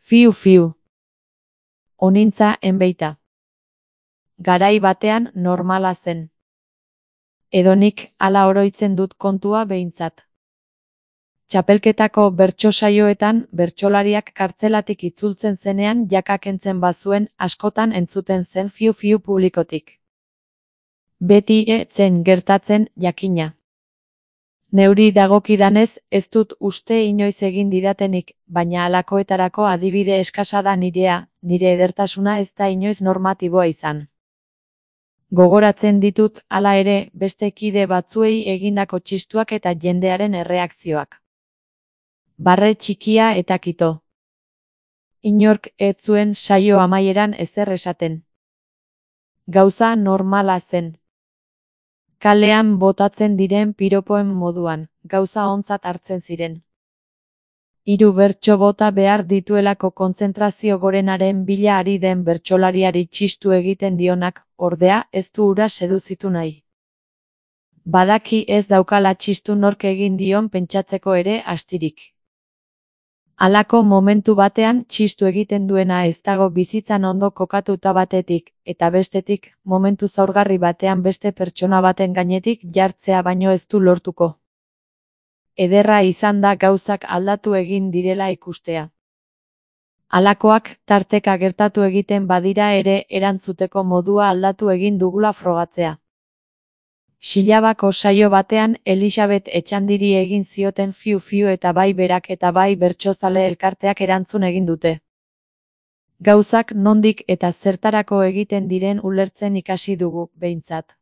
Fiu fiu. Onintza enbeita. Garai batean normala zen. Edonik hala oroitzen dut kontua behintzat. Txapelketako bertso saioetan bertsolariak kartzelatik itzultzen zenean jaka kentzen bazuen askotan entzuten zen fiu-fiu publikotik. Beti zen gertatzen jakina. Neuri dagokidanez ez dut uste inoiz egin didatenik, baina halakoetarako adibide eskasa da nirea, nire edertasuna ez da inoiz normatiboa izan. Gogoratzen ditut, hala ere, beste kide batzuei egindako txistuak eta jendearen erreakzioak. Barre txikia eta kito. Inork ez zuen saio amaieran ezer esaten. Gauza normala zen. Kalean botatzen diren piropoen moduan, gauza ontzat hartzen ziren. 3 bertso bota behar dituelako kontzentrazio gorenaren bila ari den bertsolariari txistu egiten dionak, ordea, ez du hura seduzitu nahi. Badaki ez daukala txistu nork egin dion pentsatzeko ere astirik. Halako momentu batean txistu egiten duena ez dago bizitzan ondo kokatuta batetik, eta bestetik, momentu zaurgarri batean beste pertsona baten gainetik jartzea baino ez du lortuko. Ederra izan da gauzak aldatu egin direla ikustea. Halakoak tarteka gertatu egiten badira ere erantzuteko modua aldatu egin dugula frogatzea. Xilabako saio batean Elisabet Etxandiri egin zioten fiu-fiu eta bai berak eta bai bertsozale elkarteak erantzun egin dute. Gauzak nondik eta zertarako egiten diren ulertzen ikasi dugu, behintzat.